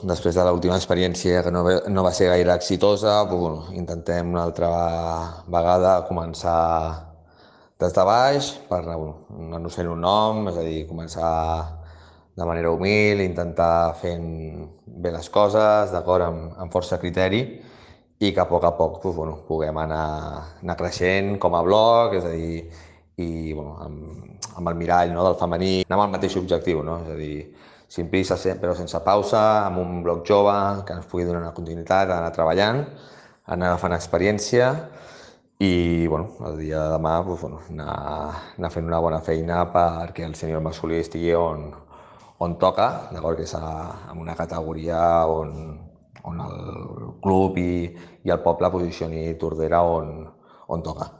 després de l'última experiència que no va ser gaire exitosa, intentem una altra vegada començar des de baix per anar-nos fent un nom, és a dir, començar de manera humil, intentar fent bé les coses, d'acord, amb força criteri, i que a poc puguem anar creixent com a blog, és a dir, i amb el mirall, no, del femení, anar amb el mateix objectiu, no? És a dir, sin prisa però sense pausa, amb un blog jove que ens pugui donar una continuïtat, anar treballant, anar agafant experiència i el dia de demà anar fent una bona feina perquè el senyor masculí estigui on toca, d'acord, que és en una categoria on el club i el poble posicioni Tordera on toca.